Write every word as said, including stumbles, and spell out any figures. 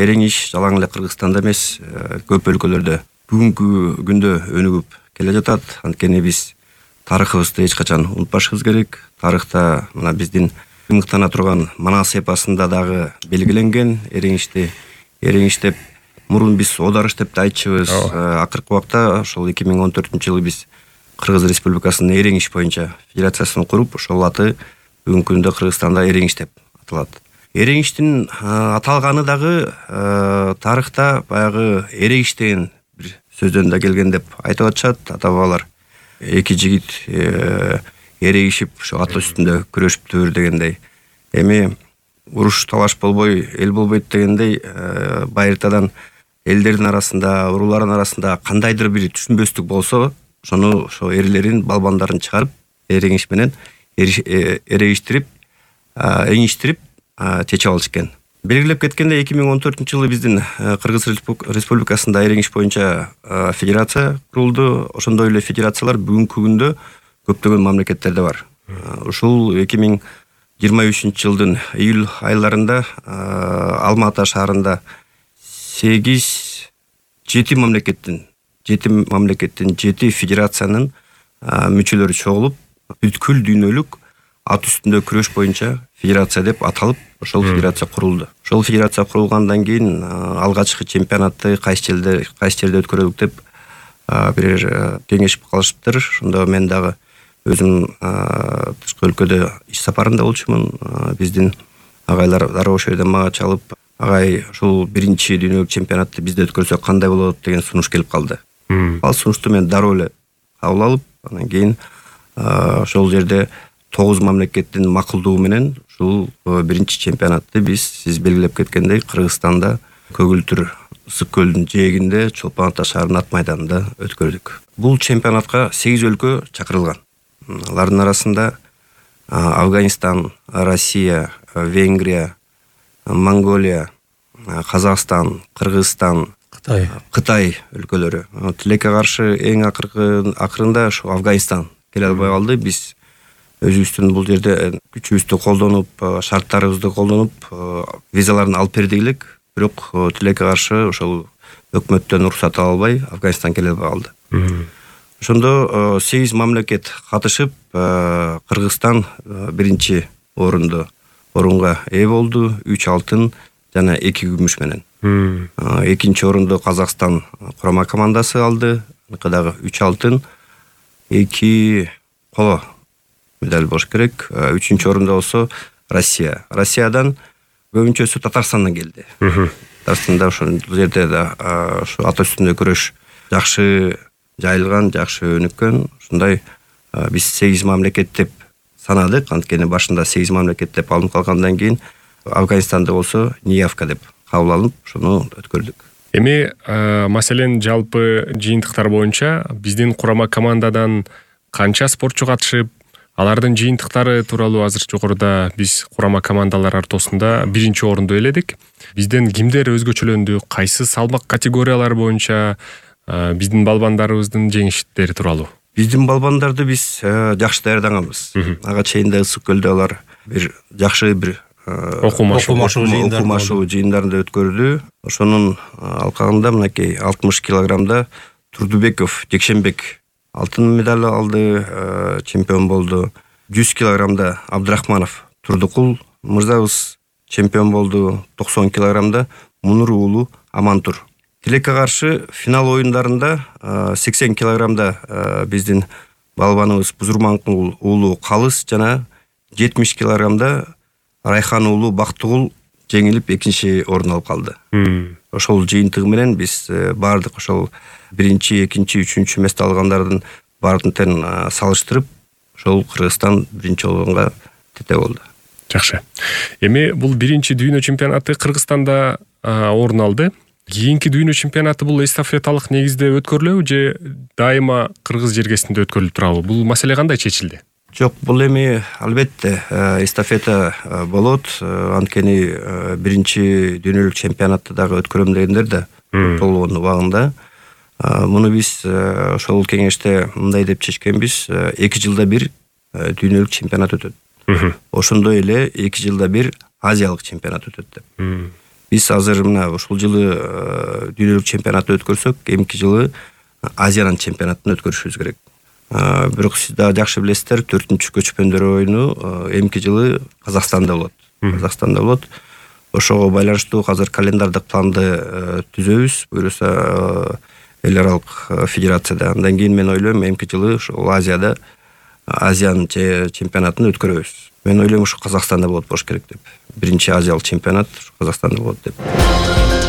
эреңиш жалаң эле Кыргызстанда эмес, көп өлкөлөрдө бүгүнкү күндө өнүгүп келе жатат. Анткени биз тарыхыбызды эч качан унутпашыбыз керек. Тарыхта мына биздин мыктана турган Манас эпосунда дагы белгиленген эреңишти эреңиш деп мурун биз Одарыш деп да айтчубыз. Акыркы убакта ошол эки миң он төртүнчү жылы биз Кыргыз Республикасынын эреңиш боюнча федерациясын куруп, ошол аты бүгүнкү күндө Кыргызстанда эреңиш деп аталат. Эреңиштин аталганы дагы тарыхта баягы эрегиш деген бир сөздөн да келген деп айтып атышат. Ата-бабалар эки жигит эрегишип ошо ат үстүндө күрөшүптүр дегендей. Эми уруш талаш болбой эл болбойт дегендей, байыртадан элдердин арасында, уруулардын арасында кандайдыр бир түшүнбөстүк болсо, ошону ошо эрлерин, балбандарын чыгарып, эреңиш менен эрегиштирип, эңиштирип чечип алыш экен. Белгилеп кеткендей, эки миң он төртүнчү жылы биздин Кыргыз Республикасында эреңиш боюнча федерация курулду. Ошондой эле федерациялар бүгүнкү күндө көптөгөн мамлекеттерде бар. Ушул эки миң жыйырма үчүнчү жылдын июль айларында Алма Ата шаарында сегиз жети мамлекеттин жети мамлекеттин жети федерациянын мүчөлөрү чогулуп, бүткүл дүйнөлүк ат үстүндө күрөш боюнча федерация деп аталып, ошол федерация курулду. Ошол федерация курулгандан кийин алгачкы чемпионатты кайсы жерде кайсы жерде өткөрөлүк деп бир кеңешип калышыптыр. Ошондо мен дагы өзүм тышкы өлкөдө иш сапарында болчумун. Биздин агайлар дароо ошол жерден мага чалып, агай ушул биринчи дүйнөлүк чемпионатты бизде өткөрсөк кандай болот деген сунуш келип калды. Ал сунушту мен дароо эле кабыл алып, анан кийин ошол жерде тогуз мамлекеттин макулдугу менен ушул биринчи чемпионатты биз сиз белгилеп кеткендей Кыргызстанда Көгүлтүр ысык көлдүн жээгинде Чолпон Ата шаарынын ат майданында өткөрдүк. Бул чемпионатка сегиз өлкө чакырылган. Алардын арасында Афганистан, Россия, Венгрия, Монголия, Казакстан, Кыргызстан, Кытай, Кытай өлкөлөрү. Тилекке каршы эң акыркы акырында ушу Афганистан келе албай калды. Биз өзүбүздүн бул жерде күчүбүздү колдонуп, шарттарыбызды колдонуп, визаларын алып бердик элек, бирок тилекке каршы ошол өкмөттөн уруксат ала албай Афганистан келе албай калды. Ошондо сегиз мамлекет катышып, Кыргызстан биринчи орунду орунга ээ болду, үч алтын жана эки күмүш менен. Экинчи орунду Казакстан курама командасы алды, дагы үч алтын, эки коло медаль болуш керек. Үчүнчү орунда болсо Россия. Россиядан көбүнчөсү Татарстандан келди. Татарстанда ошол жерде да ошо ат үстүндө күрөш жакшы жайылган, жакшы өнүккөн. Ушундай биз сегиз мамлекет деп санадык. Анткени башында сегиз мамлекет деп алынып калгандан кийин Афганистанда болсо неявка деп кабыл алынып, ошону өткөрдүк. Эми маселен жалпы жыйынтыктар боюнча биздин курама командадан канча спортчу катышып, алардын жыйынтыктары тууралуу азыр жогоруда биз курама командалар ортосунда биринчи орунду ээледик. Бизден кимдер өзгөчөлөндү, кайсы салмак категориялар боюнча биздин балбандарыбыздын жеңиштери тууралуу? Биздин балбандарды биз жакшы даярдаганбыз. Ага чейин да ысык көлдө алар бир жакшы бир окумашуу жыйындарында өткөрдү. Ошонун алкагында мынакей алтымыш килограммда Турдубеков Жекшенбек алтын медаль алды, чемпион болду. жүз килограммда Абдрахманов Турдукул мырзабыз чемпион болду. токсон килограммда Мунур уулу Амантур. Тилекке каршы финал оюндарында сексен килограммда биздин балбаныбыз Бузурманкул уулу Калыс жана жетимиш килограммда Райхан уулу Бактыгул жеңилип экинчи орун алып калды. Ошол жыйынтыгы менен биз бардык ошол биринчи, экинчи, үчүнчү месте алгандардын баардыгын салыштырып, ошол Кыргызстан биринчи орунга тете болду. Жакшы. Эми бул биринчи дүйнө чемпионаты Кыргызстанда орун алды. Кийинки дүйнө чемпионаты бул эстафеталык негизде өткөрүлөбү же дайыма Кыргыз жергесинде өткөрүлүп турабы? Бул маселе кандай чечилди? Жок, бул эми албетте эстафета болот. Анткени биринчи дүйнөлүк чемпионатты дагы өткөрөм дегендер да толгон убагында. Муну биз ошол кеңеште мындай деп чечкенбиз: эки жылда бир дүйнөлүк чемпионат өтөт. Ошондой эле эки жылда бир Азиялык чемпионат өтөт деп. Биз азыр мына ушул жылы дүйнөлүк чемпионатты өткөрсөк, эмки жылы Азиянын чемпионатын өткөрүшүбүз керек. Бирок сиз да жакшы билесиздер, төртүнчү көчмөндөр оюну эмки жылы Казакстанда болот. Казакстанда болот. Ошого байланыштуу азыр календардык планды түзөбүз, буюрса эл аралык федерацияда. Андан кийин мен ойлойм, эмки жылы ушул Азияда Азиянын чемпионатын өткөрөбүз. Мен ойлойм, ушу Казакстанда болот болуш керек деп. Биринчи азиялык чемпионат ушу Казакстанда болот деп.